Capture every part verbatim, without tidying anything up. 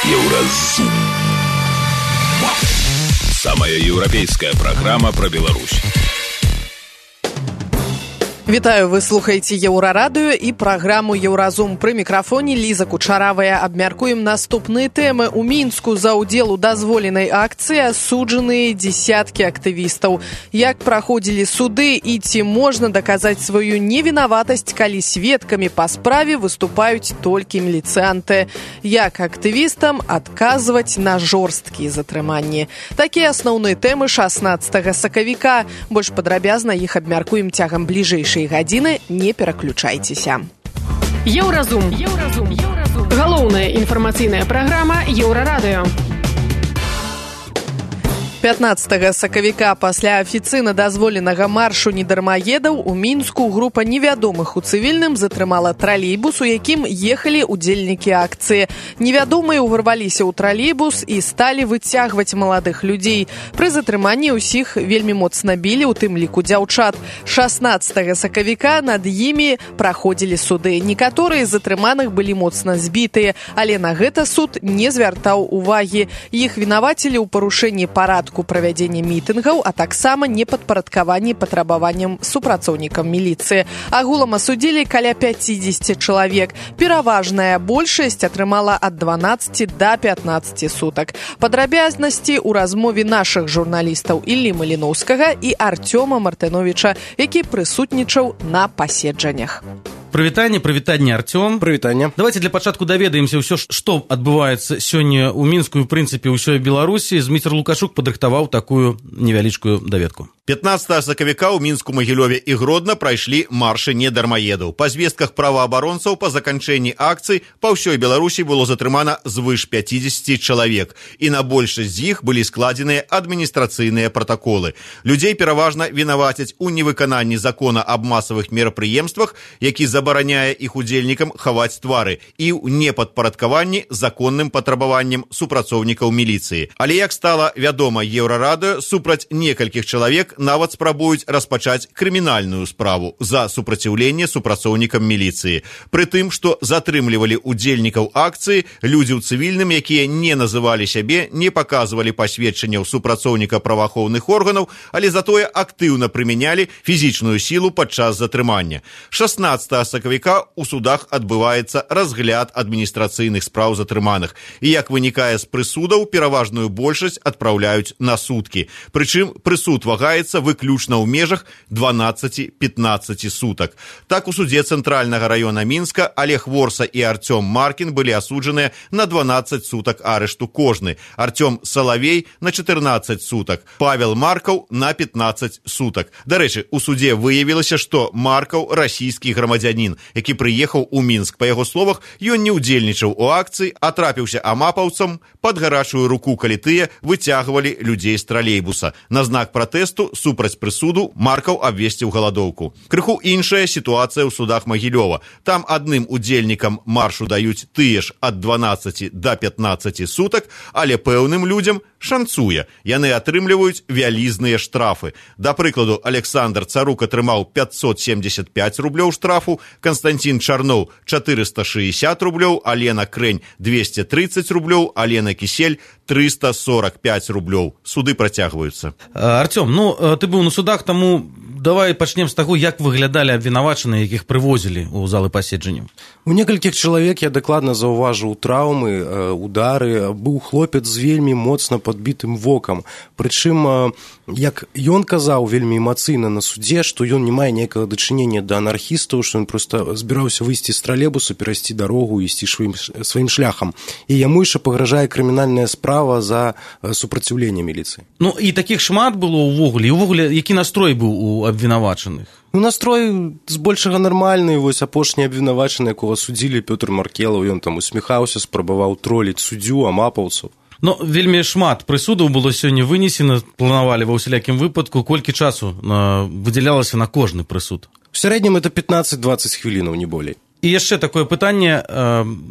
Еўразум. Самая еўрапейская программа про Беларусь. Вітаю, вы слухаеце Еўрарадыё і праграму Еўразум. Пры мікрафоне Ліза Кучаравая. Абмяркуем наступныя тэмы. У Мінску за ўдзел у дазволенай акцыі асуджаныя дзесяткі актывістаў. Як праходзілі суды і ці можна даказаць сваю невінаватасць, калі сведкамі па справе выступаюць толькі міліцыянты. Як актывістам адказваць на жорсткія затрыманні. Такія асноўныя тэмы шаснаццатага сакавіка. Больш падрабязна іх абмяркуем цягам бліжэйшай гадзіны, не пераключайцеся. Еўразум. Еўразум. Еўразум. Галоўная інфармацыйная праграма Еўрарадыё. пятнаццатага сакавіка пасля афіцыйна дазволенага маршу недармаедаў у Мінску група невядомых у цывільным затрымала тралейбус, у якім ехалі удзельнікі акцыі. Невядомыя ўварваліся ў тралейбус і сталі выцягваць маладых людзей. Пры затрыманні ўсіх вельмі моцна білі, у тым ліку дзяўчат. шаснаццатага сакавіка над імі праходзілі суды. Некаторыя з затрыманых былі моцна збітыя, але на гэта суд не звяртаў увагі. Іх вінавацілі ў парушэнні парадку правядзення мітынгаў, а таксама непадпарадкаванні патрабаванням супрацоўнікам міліцыі. Агулам асудзілі каля пяцідзесяці чалавек. Пераважная большасць атрымала ад дванаццаці да пятнаццаці сутак. Падрабязнасці ў размове нашых журналістаў Іллі Маліноўскага і Артёма Мартыновіча, які прысутнічаў на паседжаннях. Прывітанне, прывітанне, Артём. Прывітанне. Давайте для пачатку даведаемся ўсё, што адбываецца сёння ў Мінску і, ў прынцыпе, ўсёй Беларусі. Зміцер Лукашук падрыхтаваў такую невялічкую даведку. пятнаццатага сакавіка ў Мінску, Магілёве і Гродна прайшлі маршы недармаедаў. Па звестках праваабаронцаў па заканчэнні акцый па ўсёй Беларусі было затрымана звыш пяцідзесяці чалавек, і на большасць з іх былі складзеныя адміністрацыйныя пратаколы. Людзей пераважна вінавацяць у невыкананні закона аб масавых мерапрыемствах, які забараняе іх удзельнікам хаваць твары, і ў непадпарадкаванні законным патрабаванням супрацоўнікаў міліцыі. Але, як стала вядома Еўрарадыё, супраць некалькіх чалавек нават спрабуюць распачаць крымінальную справу за супраціўленне супрацоўнікам міліцыі. Пры тым, што затрымлівалі удзельнікаў акцыі людзі ў цывільным, якія не называлі сябе, не паказвалі пасведчанняў супрацоўніка праваахоўных органаў, але затое актыўна прымянялі фізічную сілу падчас затрымання. шаснаццатага сакавіка ў судах адбываецца разгляд адміністрацыйных спраў затрыманых. І, як вынікае з прысудаў, пераважную большасць адпраўляюць на суткі. Прычым прысуд вагаецца выключна ў межах дванаццаці-пятнаццаці сутак. Так, у судзе Цэнтральнага раёна Мінска Олег Ворса і Артём Маркін былі асуджаныя на дванаццаць сутак арышту кожны. Артём Салавей на чатырнаццаць сутак, Павел Маркаў на пятнаццаць сутак. Дарэчы, у судзе выявілася, што Маркаў расійскі грамадзянін, які прыехаў у Мінск. Па яго словах, ён не ўдзельнічаў у акцыі, а трапіўся амапаўцам пад гарачую руку, калі тыя выцягвалі людзей з тралейбуса. На знак пратэсту супраць прысуду Маркаў абвесціў галадоўку. Крыху іншая сітуацыя ў судах Магілёва. Там адным удзельнікам маршу даюць тыя ж ад дванаццаці да пятнаццаці сутак, але пэўным людзям шанцуе. Яны атрымліваюць вялізныя штрафы. Да прыкладу, Александр Царук атрымаў пятьсот семьдесят пять рублёў штрафу, Константин Чарноў чатырыста шэсцьдесят рублёў, Алена Крэнь двести тридцать рублёў, Алена Кісель триста сорок пять рублёў. Суды працягваюцца. Артём, ну, ты быў на судах, таму давай пачнем з таго, як выглядалі абвінавачаныя, якіх прывозілі ў залы паседжання. У некалькіх чалавек я дакладна заўважыў траўмы, удары. Быў хлопец з вельмі моцна падбітым вокам. Прычым, як ён казаў вельмі эмацыйна на судзе, што ён не мае ніякага дачынення да анархістаў, што ён проста збіраўся выйсці з тралейбуса, перайсці дарогу і ісці сваім, сваім шляхам. І яму яшчэ пагражае крымінальная справа за супраціўленне міліцыі. Ну, і такіх шмат было ўвогуле. І ўвогуле, які настрой быў у абвінавачаных? Ну, настрой збольшага нармальны. Вось апошні абвінавачаны, якога судзілі, Пётр Маркелаў, ён там усміхаўся, спрабаваў троліць суддзю, амапаўцаў. Ну, вельмі шмат прысудаў было сёння вынесена, планавалі ва ўсялякім выпадку. Колькі часу выдзялялася на кожны прысуд? В сярэднім это пятнаццаць-дваццаць хвілінаў, не болей. І яшчэ такое пытанне,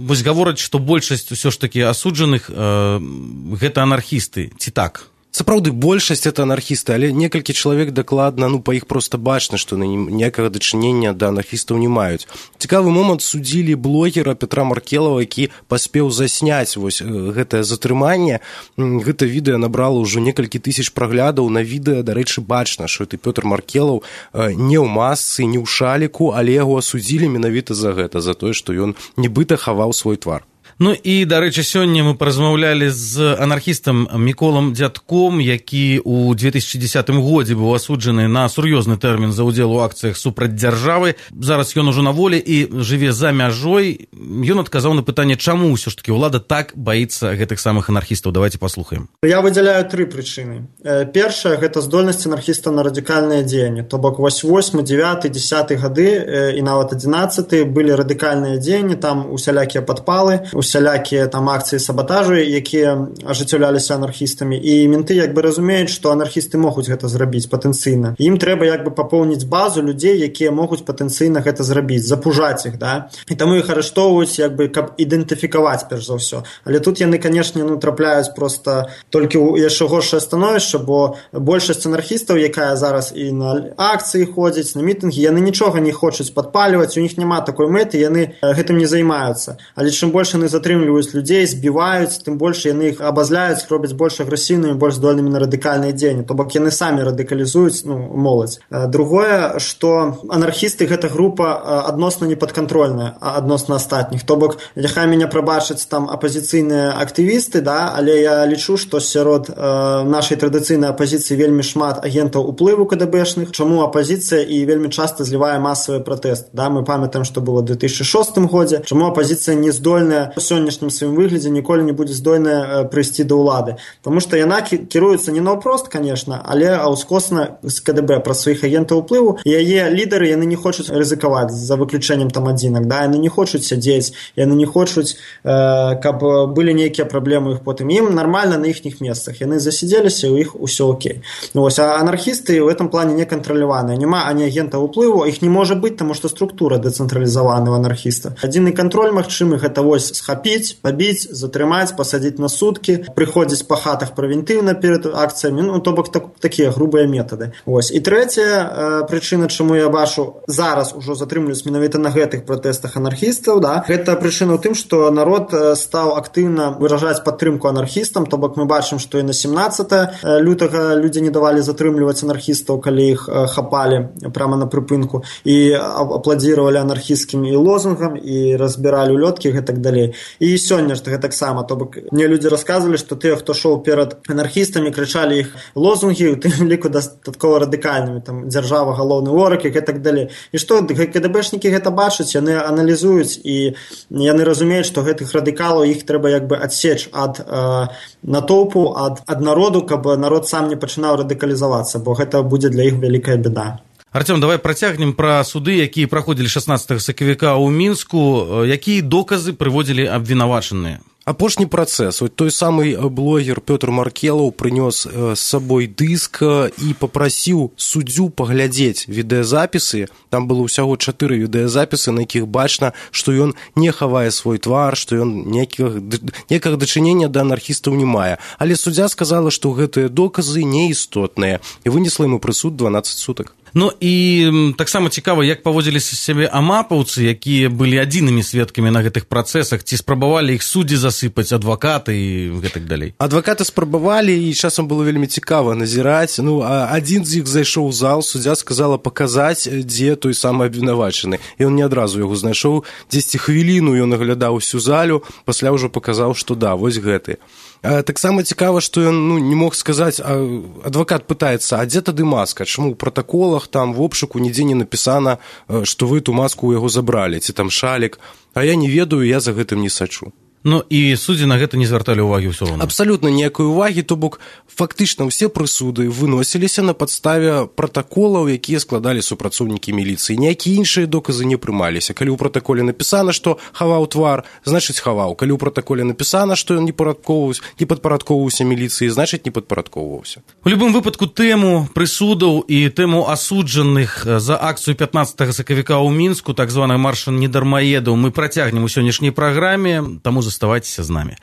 вось гавораць, што большасць усё ж такі асуджаных гэта анархісты, ці так? Сапраўды, большасць это анархісты, але некалькі чалавек дакладна, ну, па іх проста бачна, што ніякага дачынення да анархістаў не маюць. Цікавы момант, судзілі блогера Петра Маркелова, які паспеў засняць вось гэтае затрыманне. Гэта відэа набрала ўжо некалькі тысяч праглядаў. На відэа, дарэчы, бачна, што это Пётр Маркелаў не ў масцы, не ў шаліку, але яго асудзілі менавіта за гэта, за тое, што ён нібыта хаваў свой твар. Ну і, дарэчы, сёння мы паразмаўлялі з анархістам Міколам Дзядком, які ў две тысячы дзесятым годзе быў асуджаны на сур'ёзны тэрмін за ўдзел у акцыях супраць дзяржавы. Зараз ён ужо на волі і жыве за мяжой. Ён адказаў на пытанне, чаму ўсё ж такі ўлада так баіцца гэтых самых анархістаў. Давайте паслухаем. Я выдзяляю тры прычыны. Першая – гэта здольнасць анархістаў на радыкальнае дзеянне. То бок восьмы, дзевяты, дзесяты гады і нават адзінаццаты былі радыкальныя дзеянні, там усялякія падпалы, усялякія там акцыі сабатажу, якія ажыццяўляліся анархістамі, і менты як бы разумеюць, што анархісты могуць гэта зрабіць патэнцыйна. Ім трэба як бы папоўніць базу людзей, якія могуць патэнцыйна гэта зрабіць, запужаць іх, да? І таму іх арыштоўваюць, як бы, каб ідэнтыфікаваць перш за ўсё. Але тут яны, канешне, ну, трапляюць проста толькі ў яшчэ горшае становішча, бо большасць анархістаў, якая зараз і на акцыі ходзіць, на мітынгі, яны нічога не хочуць падпальваць, у них няма такой мэты, яны гэтым не займаюцца. Але чым больш яны затрымліваюць людзей, збіваюць, тым больш яны іх абазляюць, робяць больш агрэсіўнымі, больш здольнымі на радыкальныя дзеянні. То бок яны самі радыкалізуюць, ну, моладзь. Другое, што анархісты гэта група адносна непадкантрольная адносна астатніх. То бок, няхай мяне прабачаць там апазіцыйныя актывісты, да, але я лічу, што сярод э, нашай традыцыйнай апазіцыі вельмі шмат агентаў уплыву КДБшных, чаму апазіцыя і вельмі часта злівае масавыя пратэсты. Да, мы памятаем, што было ў две тысячы шостым годзе, чаму апазіцыя не здольная у сённяшнім сваім выглядзе ніколі не будзе здольная прыйсці да ўлады. Таму што яна кіруецца не наўпрост, конечно, але аўскосна з КДБ праз сваіх агентаў уплыву. І яе лідары, яны не хочуць рызыкаваць за выключэннем там адзінак, да, яны не хочуць сядзець, яны не хочуць, э, каб былі нейкія праблемы іх потым. Ім нармальна на іхніх месцах. Яны засядзеліся, у іх усё окей. Ну, вось, а анархісты ў гэтым плане не кантраляваныя. Няма ані агента уплыву, іх не можа быць, таму што структура дэцэнтралізавана ў анархіста. Адзіны кантроль магчымы гэта вось схапіць, пабіць, затрымаць, пасадзіць на суткі, прыходзіць па хатах прэвентыўна перад акцыямі, ну, то бок так, такія грубыя метады. Вось. І трэцяя э, прычына, чаму я бачу зараз ужо затрымлююць менавіта на гэтых пратэстах анархістаў, да, гэта прычына ў тым, што народ стаў актыўна выражаць падтрымку анархістам, то бок мы бачым, што і на семнаццатае лютага людзі не давалі затрымліваць анархістаў, калі іх хапалі прямо на прыпынку, і апладзіравалі анархісцкім і лозунгам, і разбіралі улёткі і так далей. І сёння ж гэтаксама, то бок мне людзі расказвалі, што тыя, хто шоў перад анархістамі, крычалі іх лозунгі, у тым ліку дастаткова радыкальнымі, там дзяржава галоўны вораг і так далей. І што КДБшнікі гэта бачаць, яны аналізуюць і яны разумеюць, што гэтых радыкалаў іх трэба як бы адсечь ад э, натоўпу, ад, ад народу, каб народ сам не пачынаў радыкалізавацца, бо гэта будзе для іх вялікая бяда. Артём, давай працягнем пра суды, якія праходзілі шаснаццатага сакавіка ў Мінску. Якія доказы прыводзілі абвінавачаныя? Апошні працэс. Той самы блогер Пётр Маркелаў прынёс з сабой дыск і папрасіў суддзю паглядзець відэазапісы. Там было ўсяго чатыры відэазапісы, на якіх бачна, што ён не хавае свой твар, што ён некага дачынення да анархістаў не мае. Але суддзя сказала, што гэтыя доказы неістотныя і вынесла яму прысуд дванаццаць сутак. Ну і таксама цікава, як паводзіліся сябе амапаўцы, якія былі адзінымі сведкамі на гэтых працэсах, ці спрабавалі іх суддзі засыпаць, адвакаты і гэтак далей. Адвакаты спрабавалі, і часам было вельмі цікава назіраць. Ну, а адзін з іх зайшоў у зал, суддзя сказала паказаць, дзе той самы абвінавачаны. І ён не адразу яго знайшоў, дзесьці хвіліну ён аглядаў усю залю, пасля ўжо паказаў, што да, вось гэты. Таксама цікава, што ён ну, не мог сказаць, а адвакат пытаецца, а дзе тады маска? Чаму ў пратаколах, там, в обшуку нідзе не напісана, што вы ту маску ў яго забралі, ці там шалік, а я не ведаю, я за гэтым не сачу. Ну і суддзі на гэта не звярталі ўвагі ўсё роўна. Абсалютна ніякай увагі, то бок фактычна ўсе прысуды выносіліся на падставе пратаколаў, якія складалі супрацоўнікі міліцыі. Ніякія іншыя доказы не прымаліся. Калі ў пратаколе напісана, што хаваў твар, значыць хаваў. Калі ў пратаколе напісана, што ён не падпарадкоўваўся міліцыі, значыць не падпарадкоўваўся. У любым выпадку тэму прысудаў і тэму асуджаных за акцыю пятнаццатага сакавіка ў Мінску, так званы марш недармаедаў, мы працягнем у сённяшняй праграме, таму заставайтеся з намі.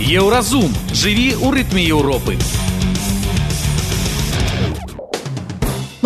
Еўразум. Жыві ў рытме Еўропы.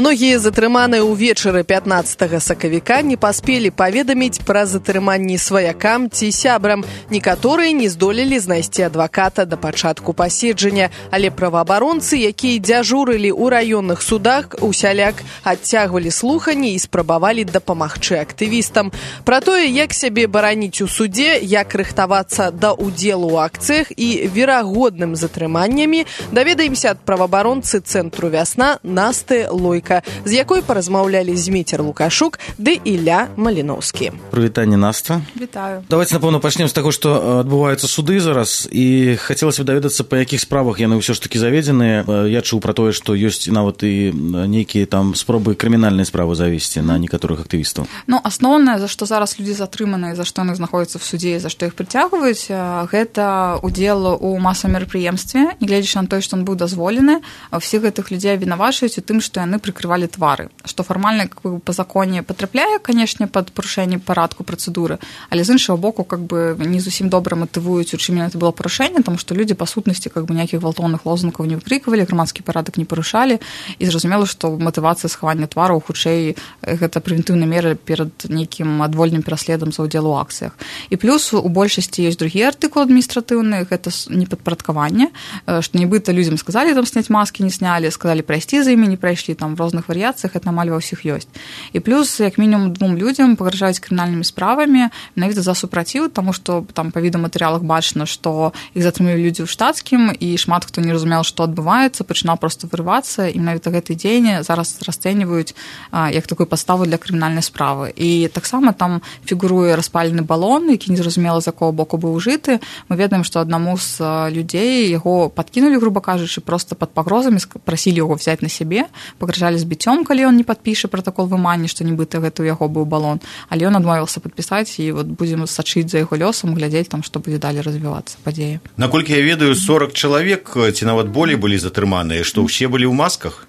Многія затрыманыя ўвечары пятнаццатага сакавіка не паспелі паведаміць пра затрыманні сваякам ці сябрам. Некаторыя не здолелі знайсці адваката да пачатку паседжання, але праваабаронцы, якія дзяжурылі ў раённых судах, усяляк адцягвалі слуханні і спрабавалі дапамагчы актывістам. Пра тое, як сябе бараніць у судзе, як рыхтавацца да ўдзелу ў акцыях і верагодным затрыманнямі, даведаемся ад праваабаронцы цэнтру «Вясна» Насты Лойка, з якой паразмаўлялі Зміцер Лукашук ды Ілля Маліноўскі. Прывітанне, Наста. Вітаю. Давайте, напэўна, пачнем з таго, што адбываюцца суды зараз, і хацелася б даведацца, па якіх справах яны ўсё ж такі заведзеныя. Я чуў пра тое, што ёсць нават і нейкія там спробы крымінальнай справы завесці на некаторых актывістаў. Ну, асноўнае, за што зараз людзі затрыманыя, за што яны знаходзяцца в судзе, за што іх прыцягваюць, гэта удзел у масавым мерапрыемстве, нягледзячы на тое, што ён быў дазволены. Ўсіх гэтых людзей абвінавачваюць у тым, што яны прыкрывалі твары, што фармальна как бы, па законе патрапляе, канешне, пад парушэнне парадку працэдуры, але з іншага боку как бы не зусім добра матывуюць, у чым это было парушэнне, таму што людзі па сутнасці как бы ніякіх гвалтоўных лозунгаў не выкрыквалі, грамадскі парадак не парушалі, і зразумела, што матывацыя схавання твараў хутчэй гэта прэвентыўная мера перад нейкім адвольным пераследам за ўдзел у акцыях. І плюс у большасці ёсць другі артыкул адміністратыўны, гэта непадпарадкаванне, што нібыта людзям сказалі там сняць маскі, не снялі, сказалі прайсці за імі, не прайшлі, там в розных варыяцыях, это амаль ва ўсіх ёсць. І плюс, як мінімум, двум людзям пагражаюць крымінальнымі справамі менавіта за супраціў, таму што там па відэаматэрыялах бачна, што іх затрымлівалі людзі ў штатскім, і шмат хто не разумеў, што адбываецца, пачынаў проста вырывацца, і менавіта гэты дзеянне зараз расцэньваюць як такую падставу для крымінальнай справы. І таксама там фігуруе распалены балон, які незразумела з якого боку быў ужыты. Мы ведаем, што аднаму з людзей яго падкінулі, груба кажучы, проста пад пагрозамі, прасілі яго взяць на сябе, пагражалі збіццём, калі ён не падпіша пратакол вымання, што нібыта гэта ў яго быў балон, але ён адмовіўся падпісаць, і вот будзем сачыць за яго лёсам, глядзець там, што будзе далей развівацца падзеі. Наколькі я ведаю, сорок чалавек ці нават болей былі затрыманыя, што ўсе былі ў масках?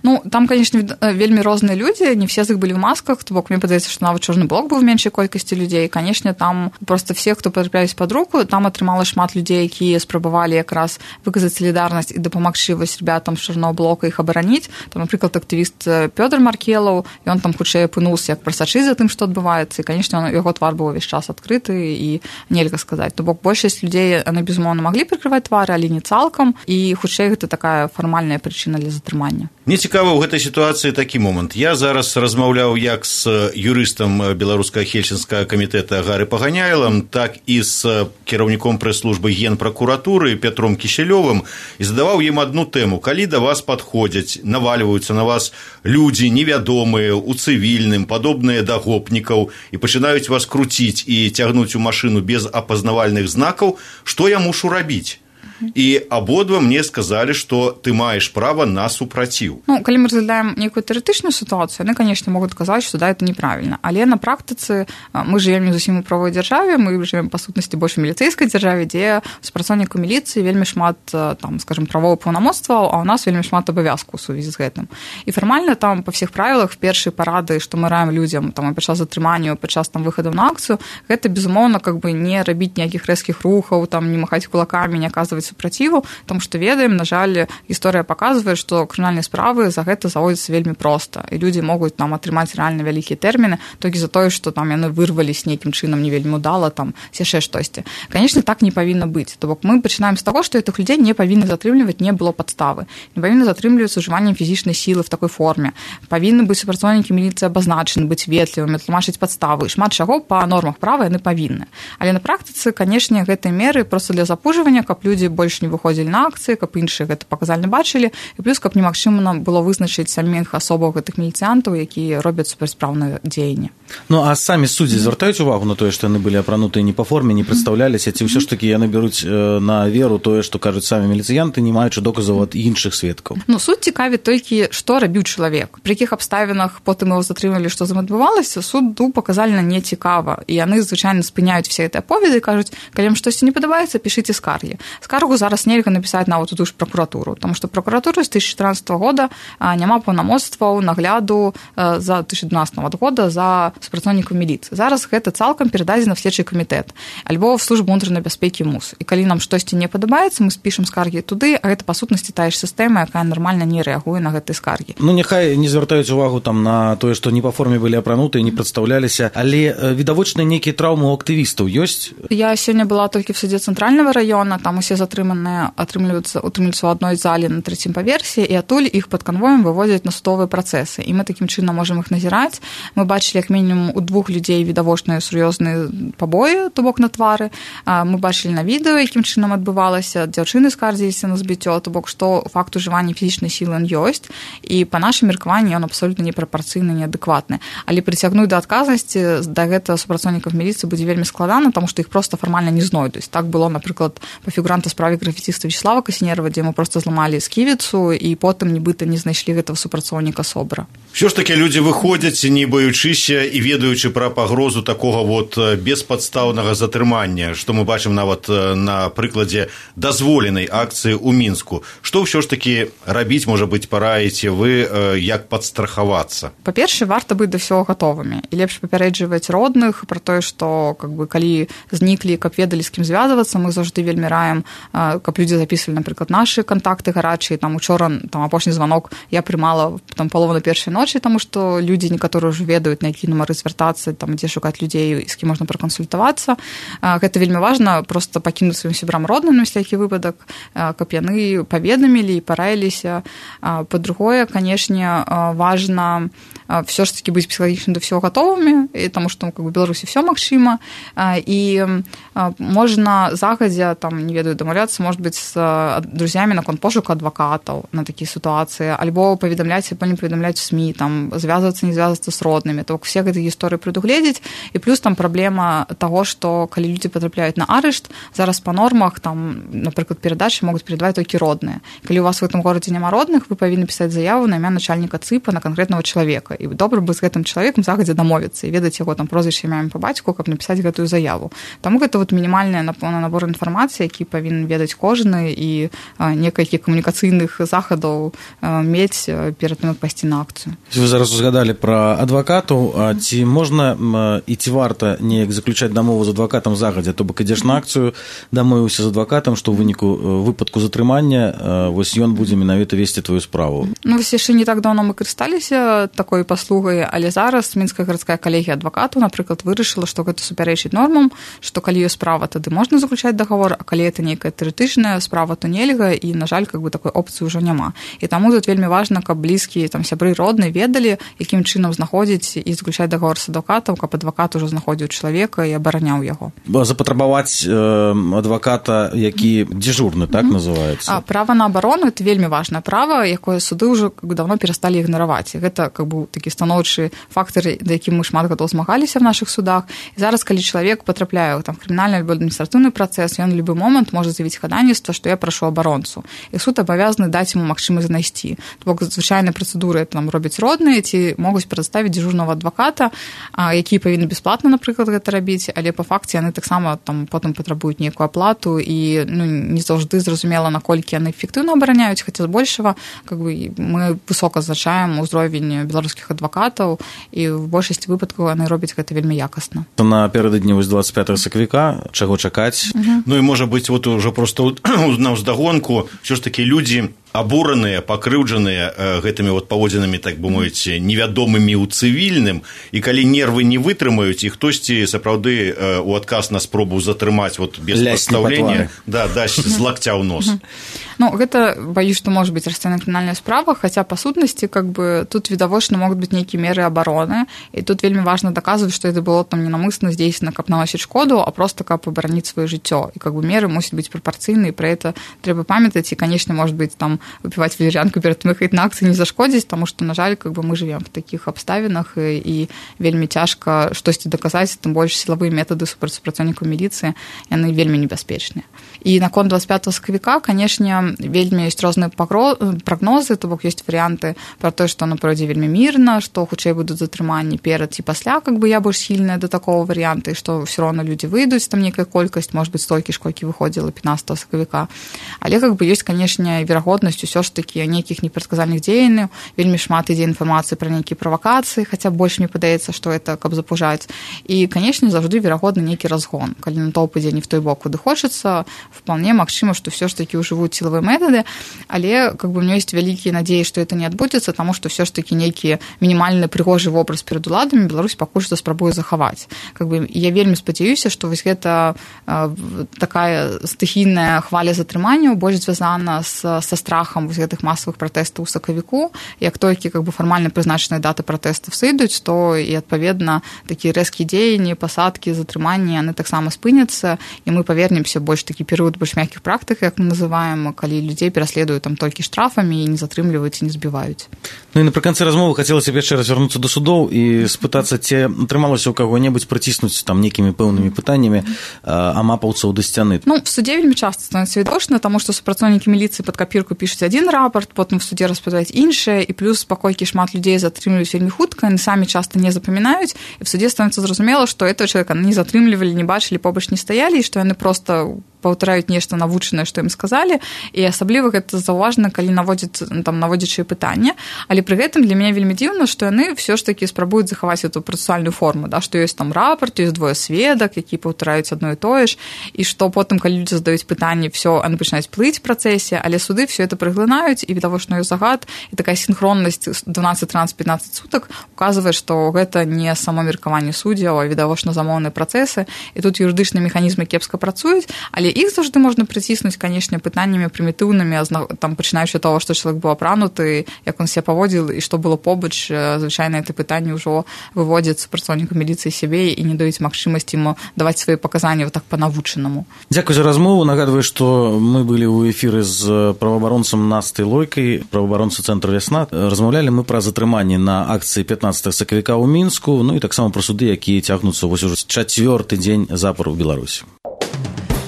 Ну, там, конечно, вельмі розныя людзі, не все з іх былі ў масках, то бок мне падаецца, што нават чорны блок быў меншай колькасці людзей. Конечно, там просто все, хто патрапляюць пад руку, там атрымала шмат людзей, якія спрабавалі якраз выказаць салідарнасць і дапамагчы вось ребятам з чорнага блока іх абараніць. Там, напрыклад, актывіст Пётр Маркелаў, ён там хутчэй апынуўся як прасачыць за тым, што адбываецца, і, конечно, яго твар быў увесь час адкрыты, і нельга сказаць. То бок большасць людзей, яны, безумоўна, маглі прыкрываць твары, але не цалкам, і хутчэй гэта такая фармальная прычына для затрымання. Мне цікава ў гэтай сітуацыі такі момант. Я зараз размаўляў як з юрыстам беларускага хельсінскага камітэта Гары Паганяйлам, так і з кіраўніком прэс-службы Генпракуратуры Пятром Кішэлёвым, і задаваў ім адну тэму. Калі да вас падходзяць, навальваюцца на вас людзі невядомыя, у цывільным, падобныя да гопнікаў, і пачынаюць вас круціць і цягнуць у машыну без апазнавальных знакаў, што я мушу рабіць? І абодва мне сказалі, што ты маеш права на супраціў. Ну, калі мы разглядаем нейкую тэарэтычную сітуацыю, яны, конечно, могуць казаць, што да, это неправільна. Але на практыцы мы жывем не зусім у правовой дзяржаве, мы жывем, па сутнасці, больш у міліцэйскай дзяржаве, дзе супрацоўніку міліцыі вельмі шмат, там, скажем, правовых паўнамоцтваў, а ў нас вельмі шмат абавязкаў у сувязі з гэтым. І фармальна там па ўсіх правілах першыя парады, што мы раім людзям там падчас затрымання, падчас там выхаду на акцыю, гэта безумоўна как бы не рабіць ніякіх рэзкіх рухаў, там не махаць кулакамі, не аказваць супраціву, тому што ведаем, на жаль, гісторыя паказвае, што крымінальныя справы за гэта заводзяцца вельмі проста, і людзі могуць там атрымаць рэальна вялікія тэрміны толькі за тое, што там яны вырвались нейкім чынам не вельмі удала, там яшчэ штосьці. Конечно, так не павінна быць. То бок мы пачынаем з таго, што гэтых людзей не павінны затрымліваць, не было падставы. Не павінны затрымлівацца ужываннем фізічнай сілы в такой форме. Павінны быць супрацоўнікі міліцыі абазначаны, быць ветлівымі, тлумачыць падставы. Шмат чаго па нормах права яны павінны. Але на практыцы, канешне, гэтыя меры проста для запужвання, каб людзі больш не выходзілі на акцыі, каб іншыя гэта паказальна бачылі, і плюс каб немагчыма было вызначыць саміх асобаў гэтых міліцыянтаў, якія робяць супрацьпраўнае дзеянне. Ну а самі суддзі звяртаюць увагу на тое, што яны былі апранутыя не па форме, не прадстаўляліся, ці ўсё ж такі яны бяруць на веру тое, што кажуць самі міліцыянты, не маючы доказаў ад іншых сведкаў. Ну суд цікавіць толькі, што рабіў чалавек, пры якіх абставінах потым яго затрымалі, што з ім адбывалася, суду паказальна не цікава, і яны звычайна спыняюць все гэтыя аповеды і кажуць, калі вам штосьці не падабаецца, пішыце скаргі. Скаргу скаргу зараз нельга напісаць нават у тую ж пракуратуру, таму што пракуратура з две тысячи тринадцатого года няма паўнамоцтваў нагляду за две тысячи двенадцатого года за супрацоўнікаў міліцыі. Зараз гэта цалкам перададзена в следчы камітэт альбо в службу унутранай бяспекі МУС. І калі нам штосьці не падабаецца, мы спішам скаргі туды, а гэта па сутнасці тая ж сістэма, якая нармальна не рэагуе на гэтыя скаргі. Ну няхай не звяртаюць увагу там на тое, што не па форме былі апранутыя, не прадстаўляліся, але відавочныя нейкія траўмы у актывістаў ёсць? Я сёння была толькі в суде цэнтральнага раёна, там усе затрыманыя атрымліваюцца утрымліваюцца ў адной зале на трэцім паверсе, і адтуль іх пад канвоем выводзяць на судовыя працэсы. І мы такім чынам можам іх назіраць. Мы бачылі як мінімум у двух людзей відавочныя сур'ёзныя пабоі, то бок на твары. Мы бачылі на відэо, якім чынам адбывалася, дзяўчыны скардзіліся на збіццё, то бок што факт ужывання фізічнай сілы ёсць, і па нашым меркаванні ён абсолютна непрапарцыйны, неадэкватны. Але прыцягнуць да адказнасці да гэтага супрацоўнікаў міліцыі будзе вельмі складана, таму што іх проста фармальна не знойдуць. Так было, напрыклад, па фігуранта справе графіціста Вячеслава Касінерова, дзе яму проста зламалі сківіцу, і потым нібыта не знайшлі гэтага супрацоўніка СОБРа. Все ж таки люди выходзяць, не баючыся і ведаючы пра пагрозу такога вот беспадстаўнага затрымання, што мы бачым нават на прыкладзе дазволенай акцыі ў Мінску. Што ўсё ж таки рабіць, можа быць, параіце вы, як падстрахавацца? Па-першае, варта быць да ўсяго гатовымі. І лепш папярэджваць родных пра тое, што как бы, калі зніклі, каб ведалі, з кім звязвацца, мы заўжды вельмі раім, каб людзі запісвалі, напрыклад, нашы кантакты гарачыя. Там учора там апошні званок я прымала там палову на першай ночы, таму што людзі некаторыя ўжо ведаюць, на які нумары звяртацца, там дзе шукаць людзей, з кім можна пракансультавацца. Гэта вельмі важна, проста пакінуць сваім сябрам родным на всякий выпадак, каб яны паведамілі і параіліся. Па-другое, канешне, важна все ж таки быць псіхалагічна да ўсяго гатовымі, таму што как бы, Беларусі все магчыма, і можна загадзя там, не ведаю, дамаўляцца, может быть, з друзьямі наконт пошуку адвакатаў на такія сітуацыі, альбо паведамляць, альбо не паведамляць у СМІ, там звязвацца, не звязвацца з роднымі. То все гэтыя гісторыі прадугледзець, і плюс там праблема таго, што калі людзі патрапляюць на арышт, зараз па нормах там, напрыклад, перадачы могуць перадаваць толькі родныя. Калі у вас в гэтым горадзе няма родных, вы павінны пісаць заяву на імя начальніка ЦИПа на канкрэтнага чалавека. І добра бы з гэтым чалавекам загадзя дамовіцца і ведаць яго там прозвішча, імя па бацьку, каб напісаць гэтую заяву. Таму гэта вот мінімальная набор інфармацыі, які павінен ведаць кожны, і некалькі камунікацыйных захадаў мець перад тым, як пайсці на акцыю. Вы зараз узгадалі пра адвакатаў, ці можна і ці варта неяк заключаць дамову з адвакатам загадзя, то бок ідзеш на акцыю, дамовіўся з адвакатам, што ў выніку выпадку затрымання вось ён будзе менавіта весці твою справу. Ну вось яшчэ не так даўно мы карысталіся такой паслугай, але зараз Мінская гарадская калегія адвакатаў, напрыклад, вырашыла, што гэта супярэчыць нормам, што калі ёсць справа, тады можна заключаць дагавор, а калі гэта нейкая тэарэтычная справа, то нельга, і на жаль, как бы такой опцыі ўжо няма. І таму тут вельмі важна, каб блізкія там сябры родныя ведалі, якім чынам знаходзіць і заключаць дагавор з адвакатам, каб адвакат ужо знаходзіў чалавека і абараняў яго. Запатрабаваць э, адваката, які дзежурны, так mm-hmm. называецца. А права на абарону это вельмі важнае права, якое суды ўжо как бы давно перасталі ігнараваць. Гэта как бы такі станоўчы фактор, да якім мы шмат гадоў змагаліся в наших судах. І зараз, калі чалавек потрапляе там крымінальны альбо адміністратыўны працэс, ён любы момант можа заявіць хадайніцтва, што я прашу абаронцу. І суд абавязаны даць яму магчымасць знайсці. То бок звычайнай працэдуры там робяць родныя, ці могуць прадставіць дзежурнага адваката, які павінны бясплатна, напрыклад, гэта рабіць, але па факце яны таксама там потым патрабуюць нейкую аплату, і ну, не заўжды зразумела, наколькі яны эфектыўна абараняюць, хаця збольшага как бы мы высока зазначаем узровень беларускіх адвакатаў, і в большасці выпадкаў яны робяць гэта вельмі якасна. Напярэдадні вось двадцать пятого сакавіка чаго чакаць? Uh-huh. Ну і можа быць вот уже просто на ўздагонку все ж таки людзі абураныя, пакрыўджаныя гэтымі вот паводзінамі, так бы мовіць, невядомымі ў цывільным, і калі нервы не вытрымаюць, і хтосьці сапраўды у адказ на спробу затрымаць вот без прадстаўлення, да, дасць з лакця ў нос. Ну, гэта, баюсь, што можа быць расцэнная крымінальная справа, хаця па сутнасці как бы тут відавочна могуць быць нейкія меры абароны, і тут вельмі важна даказваць, што гэта было там ненамысна здзейснена, каб наносіць шкоду, а просто каб абараніць сваё жыццё. І как бы меры мусяць быць прапарцыйныя, і пра гэта трэба памятаць, і, канечне, можа быць там выпіваць валер'янку перад тым, як ехаць на акцыі, не зашкодзіць, таму што, на жаль, как бы мы жывем в такіх абставінах, і, і вельмі цяжка штосьці даказаць, тым больш сілавыя метады супраць супрацоўнікаў міліцыі, яны вельмі небяспечныя. І наконт двадцать пятого сакавіка, канешне, вельмі ёсць розныя прагнозы, то бок ёсць варыянты пра тое, што яно пройдзе вельмі мірна, што хутчэй будуць затрыманні перад ці пасля, как бы я больш схільная да такого варыянта, і што ўсё роўна людзі выйдуць, там некая колькасць, можа быць, столькі ж, колькі выходзіла пятнадцатого сакавіка. Але как бы ёсць, канешне, верагоднасць усё ж такі нейкіх непрадказальных дзеянняў, вельмі шмат ідзе інфармацыі пра нейкія правакацыі, хаця больш мне падаецца, што это каб запужаць. І, канешне, заўжды верагодны нейкі разгон. Калі натоўп ідзе не в той бок, куды хочацца, вполне магчыма, што ўсё ж такі ўжывуць сілавыя метады, але как бы у меня ёсць вялікія надзеі, што это не адбудзецца, таму што ўсё ж такі нейкі мінімальны прыгожы вобраз перад уладамі Беларусь пакуль што спрабуе захаваць. Как бы я вельмі спадзяюся, што вось гэта э, такая стыхійная хваля затрыманняў больш звязана з, са страхам вось гэтых масавых пратэстаў у сакавіку. Як толькі как бы фармальна прызначаныя даты пратэстаў сыдуць, то і адпаведна такія рэзкія дзеянні, пасадкі, затрыманні, яны таксама спыняцца, і мы павернемся больш такі перыяд больш мяккіх практык, як мы называем, калі людзей пераследуюць там толькі штрафамі і не затрымліваюць і не збіваюць. Ну і напрыканцы размовы хацелася б яшчэ раз вярнуцца да судоў і спытацца, ці атрымалася ў каго-небудзь прыціснуць там нейкімі пэўнымі пытаннямі амапаўцаў да сцяны. Ну, в суде вельмі часта становіцца відочна, таму што супрацоўнікі міліцыі пад капірку пішуць адзін рапарт, потым в суде распавядаюць іншае, і плюс паколькі шмат людзей затрымліваюць вельмі хутка, яны самі часта не запамінаюць, і в суде становіцца зразумела, што этого чалавека не затрымлівалі, не бачылі, побач не стаялі, і што яны проста паўтараюць нешта навучанае, што ім сказалі, і асабліва гэта заўважна, калі наводзяць там наводзячыя пытанні, але пры гэтым для мяне вельмі дзіўна, што яны ўсё ж такі спрабуюць захаваць эту працэсуальную форму, да, што ёсць там рапарт, ёсць двое сведак, які паўтараюць адно і тое ж, і што потым, калі людзі задаюць пытанні, всё, яны пачынаюць плыць в працэсе, але суды всё это прыглынаюць, і відавочна ёсць загад, і такая сінхроннасць дванаццаць трынаццаць пятнаццаць сутак указвае, што гэта не само меркаванне суддзяў, а відавочна замоўныя працэсы, і тут юрыдычныя механізмы кепска працуюць, але іх заўжды можна прыціснуць, канешне, пытаннямі прымітыўнымі, там пачынаючы таго, што чалавек быў апрануты, як он себя паводзіл і што было побач, звычайна это пытанне ўжо выводзяць супрацоўніку міліцыі сябе і не даюць магчымасці яму даваць свае паказанні вот так па-навучанаму. Дзякуй за размову. Нагадваю, што мы былі ў эфіры з праваабаронцам Настай Лойкай, праваабаронца цэнтра «Вясна». Размаўлялі мы пра затрыманне на акцыі пятнадцатого сакавіка ў Мінску, ну і таксама пра суды, якія цягнуцца вось ужо чацвёрты дзень запар у Беларусі.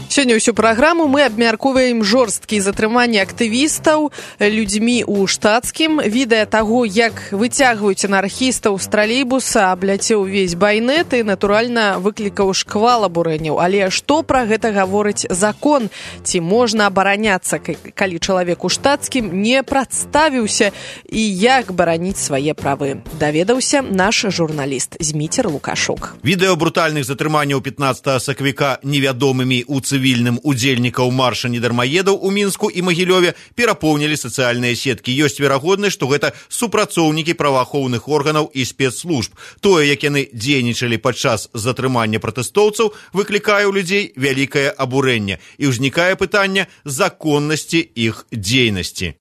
Сёння ўсю праграму мы абмяркоўваем жорсткія затрыманні актывістаў людзьмі ў штатскім. Відэа таго, як выцягваюць анархістаў з тралейбуса, абляцеў увесь байнет і, натуральна, выклікаў шквал абурэнняў. Але што пра гэта гаворыць закон? Ці можна абараняцца, калі чалавек у штатскім не прадставіўся, і як бараніць свае правы? Даведаўся наш журналіст Зміцер Лукашук. Відэо брутальных затрыманняў пятнадцатого сакавіка невядомымі ў цывільным удзельнікаў марша недармаедаў у Мінску і Магілёве перапоўнілі сацыяльныя сеткі. Ёсць верагоднасць, што гэта супрацоўнікі праваахоўных органаў і спецслужб. Тое, як яны дзейнічалі падчас затрымання пратэстоўцаў, выклікае ў людзей вялікае абурэнне, і ўзнікае пытанне законнасці іх дзейнасці.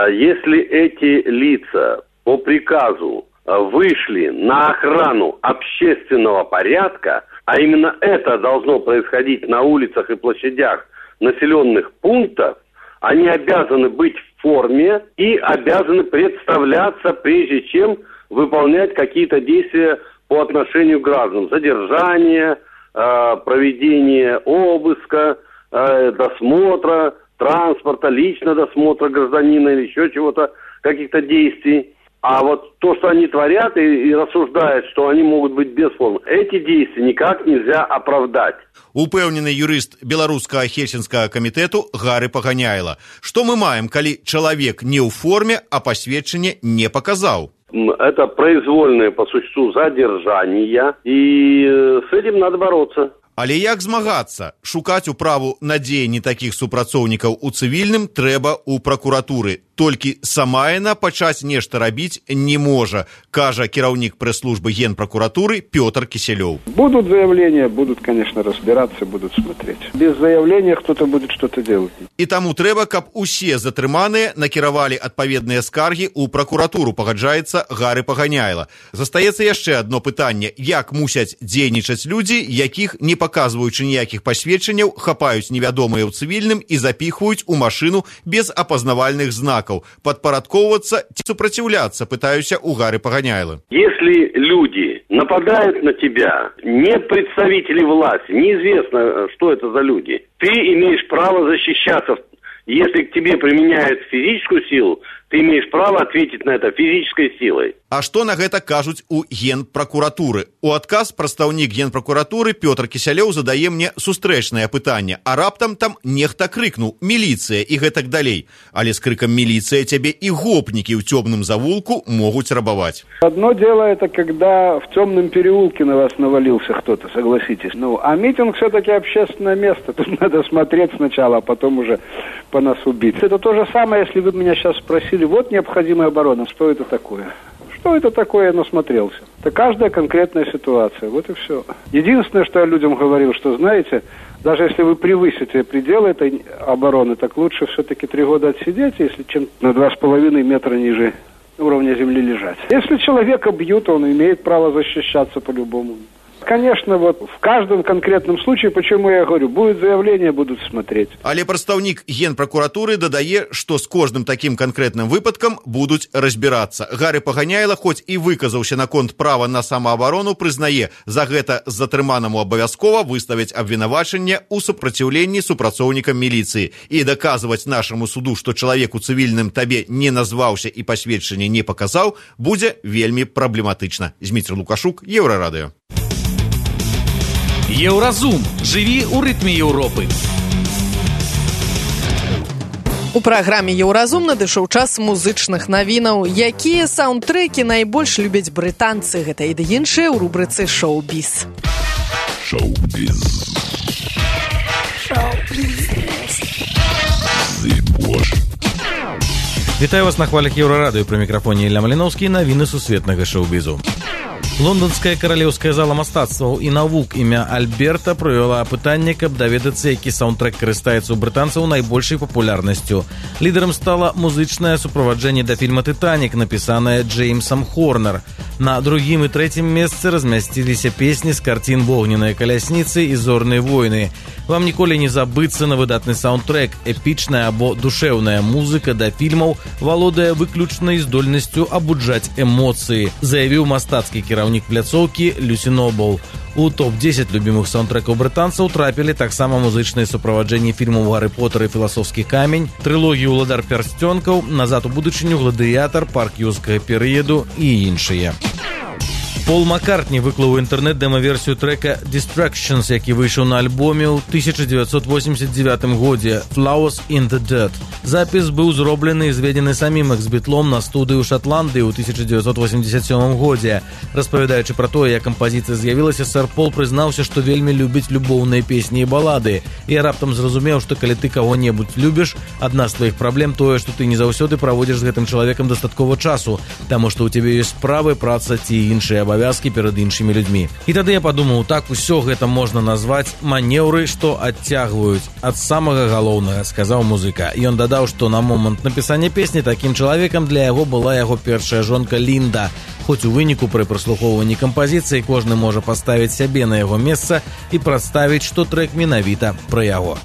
Если эти лица по приказу вышли на охрану общественного порядка, а именно это должно происходить на улицах и площадях населенных пунктов, они обязаны быть в форме и обязаны представляться, прежде чем выполнять какие-то действия по отношению к гражданам. Задержание, проведение обыска, досмотра транспорта, лично досмотра гражданина или еще чего-то, каких-то действий. А вот то, что они творят и, и рассуждают, что они могут быть без формы, эти действия никак нельзя оправдать. Упэўнены юрыст беларускага хельсінскага камітэту Гары Паганяйла. Што мы маем, калі чалавек не ў форме, а пасведчанне не паказаў? Это произвольное по существу задержание, и с этим надо бороться. Але як змагацца? Шукаць управу на дзеянні такіх супрацоўнікаў у цывільным трэба ў пракуратуры. Толькі сама яна пачаць нешта рабіць не можа, кажа кіраўнік прэс-службы Генпракуратуры Пётр Киселёв. Будут заявления, будут, конечно, разбираться, будут смотреть. Без заявления кто-то будет что-то делать. І таму трэба, каб усе затрыманыя накіравалі адпаведныя скаргі ў пракуратуру, пагаджаецца Гары Паганяйла. Застаецца яшчэ адно пытанне: як мусяць дзейнічаць людзі, якіх, не паказваючы ніякіх пасведчанняў, хапаюць невядомыя ў цывільным і запіхваюць у машыну без апазнавальных знакаў. полякаў. Падпарадкоўвацца ці супраціўляцца, пытаюся у Гары Паганяйлы. Если люди нападают на тебя, не представители власти, неизвестно, что это за люди, ты имеешь право защищаться. Если к тебе применяют физическую силу, ты имеешь право ответить на это физической силой. А што на гэта кажуць у Генпракуратуры? У адказ прадстаўнік Генпракуратуры Пётр Кісялёў задае мне сустрэчнае пытанне, а раптам там нехта крыкнуў «міліцыя» і гэтак далей. Але с крыком «милиция» тебе и гопники в темном завулку могут рабовать. Одно дело это когда в темном переулке на вас навалился кто-то, согласитесь. Ну, а митинг все-таки общественное место. Тут надо смотреть сначала, а потом уже по носу бить. Это то же самое, если вы меня сейчас спросили, вот необходимая оборона, что это такое? Что это такое, я насмотрелся. Это каждая конкретная ситуация, вот и все. Единственное, что я людям говорил, что, знаете, даже если вы превысите пределы этой обороны, так лучше все-таки три года отсидеть, если чем на два с половиной метра ниже уровня земли лежать. Если человека бьют, он имеет право защищаться по-любому. Конечно, вот в каждом конкретном случае, почему я говорю, будет заявление, будут смотреть. Але прадстаўнік Генпракуратуры дадае, што з кожным такім канкрэтным выпадкам будуць разбірацца. Гары Паганяйла, хоць і выказаўся наконт права на самаабарону, прызнае, за гэта затрыманаму абавязкова выставяць абвінавачанне ў супраціўленні супрацоўнікам міліцыі. І даказваць нашаму суду, што чалавек у цывільным табе не назваўся і пасведчанне не паказаў, будзе вельмі праблематычна. Зміцер Лукашук, Еўрарадыё. Еўразум. Жыві ў рытме Еўропы. У праграме «Еўразум» надышоў час музычных навінаў. Якія саундтрэкі найбольш любяць брытанцы? Гэта і да іншыя ў рубрыцы «Шоу-біз». Шоу-біз. Шоу-біз. Вітаю вас на хвалях Еўрарадыё. Пры мікрафоне Ілля Маліноўскі. Навіны сусветнага шоу-бізу. Лондонская каралеўская зала мастацтваў і навук імя Альберта правяла апытанне, каб даведацца, які саундтрэк карыстаецца ў брытанцаў найбольшай папулярнасцю. Лідарам стала музычнае суправаджэнне да фільма «Тытанік», напісанае Джеймсам Хорнер. На другім і трэцім месцы размясціліся песні з карцін «Вогненная калясніцы» і «Зорныя войны». Вам ніколі не забыцца на выдатны саундтрэк. Эпічная або душэўная музыка да фільмаў валодае выключнай здольнасцю абуджаць эмоцыі, заявіў мастацкі кіраўнік пляцоўкі Люсі Нобл. У топ дзесяць любімых саундтрэкаў брытанцаў трапілі таксама музычныя суправаджэнні фільмаў «Гары Поттер» і «Філасофскі камень», трылогію «Уладар пярсцёнкаў», «Назад у будучыню», «Гладыятар», «Парк юрскага перыяду» і іншыя. Пол Маккартні выклаў у інтэрнэт дэма-версію трэка «Distractions», які выйшаў на альбоме ў тысяча дзевяцьсот восемьдесят девятым годзе «Flowers in the Dirt». Запіс быў зроблены і зведзены самім экс-бітлом на студыі ў Шатландыі ў тысяча дзевяцьсот восемьдесят сёмым годзе. Распавядаючы пра тое, як кампазіцыя з'явілася, сэр Пол прызнаўся, што вельмі любіць любоўныя песні і балады. І раптам зразумеў, што калі ты каго-небудзь любіш, адна з тваіх праблем тое, што ты не заўсёды праводзіш з гэтым чалавекам дастаткова часу, таму што ў цябе ёсць справы, праца ці іншыя абавязкі перад іншымі людзьмі. І тады я падумаў, так усё гэта можна назваць манеўры, што адцягваюць ад самага галоўнага, сказаў музыка. Ён дадаў, што на момант напісання песні такім чалавекам для яго была яго першая жонка Лінда. Хоць у выніку пры праслухоўванні кампазіцыі кожны можа паставіць сябе на яго месца і прадставіць, што трэк менавіта пра яго.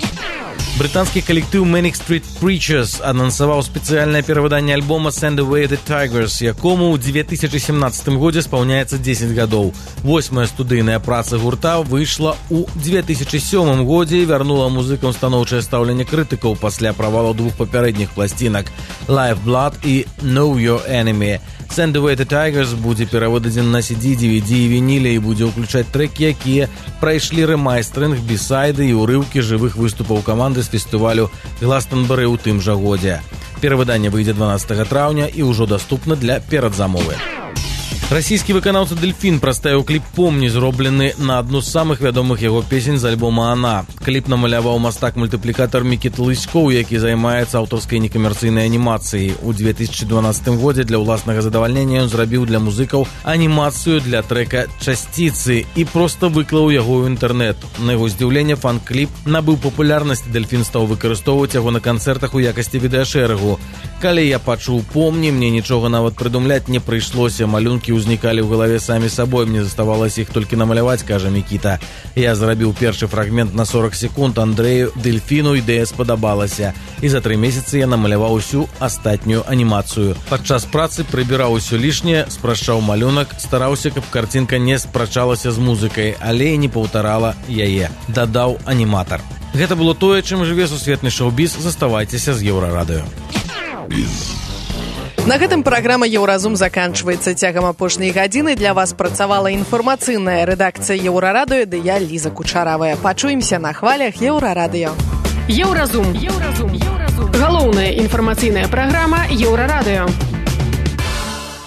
Брытанскі калектыў Manic Street Preachers анансаваў спецыяльнае перавыданне альбома «Send Away the Tigers», якому ў две тысячи семнадцатым годзе спаўняецца дзесяць гадоў. Восьмая студыйная праца гурта выйшла ў две тысячи сёмым годзе і вярнула музыкам станоўчае стаўленне крытыкаў пасля правалу двух папярэдніх пласцінак «Live Blood» і «Know Your Enemy». «Send Away the Tigers» будзе перавыдадзен на си ди, ди ви ди і вініле і будзе ўключаць трэкі, якія прайшлі рэмайстрынг, бісайды і ўрыўкі жывых выступаў каманды з фестывалю Гластонберы ў тым жа годзе. Перавыданне выйдзе дванаццатага траўня і ўжо даступна для перадзамовы. Расійскі выканаўца Дельфін прадставіў кліп «Помні», зроблены на адну з самых вядомых яго песень з альбома «Ана». Кліп намаляваў мастак-мультыплікатар Мікіт Лыськоў, які займаецца аўтарскай некамерцыйнай анімацыяй. У две тысячи дванаццатым годзе для ўласнага задавальнення ён зрабіў для музыкаў анімацыю для трэка «Часціцы» і проста выклаў яго ў інтэрнэт. На яго здзіўленне фан-кліп набыў папулярнасць, Дельфін стаў выкарыстоўваць яго на канцэртах у якасці відэашэрагу. Калі я пачуў «Помні», мне нічога нават прыдумляць не прыйшлося. Малюнкі ўзнікалі ў галаве самі сабой. Мне заставалася іх толькі намаляваць, кажа Мікіта. Я зрабіў першы фрагмент на сорок секунд. Андрэю Дельфіну ідэя спадабалася. І за тры месяцы я намаляваў усю астатнюю анімацыю. Падчас працы прыбіраў усё лішняе, спрашчаў малюнак, стараўся, каб карцінка не спрачалася з музыкай, але і не паўтарала яе. Дадаў аніматар. Гэта было тое, чым жыве сусветны шоу-біз. Заставайцеся з Еўрарадыё. На гэтым праграма «Еўразум» заканчваецца. Цягам апошняй гадзіны для вас працавала інфармацыйная рэдакцыя Еўрарадыё, ды я, Ліза Кучаравая. Пачуемся на хвалях Еўрарадыё. Еўразум. Еўразум. Галоўная інфармацыйная праграма Еўрарадыё.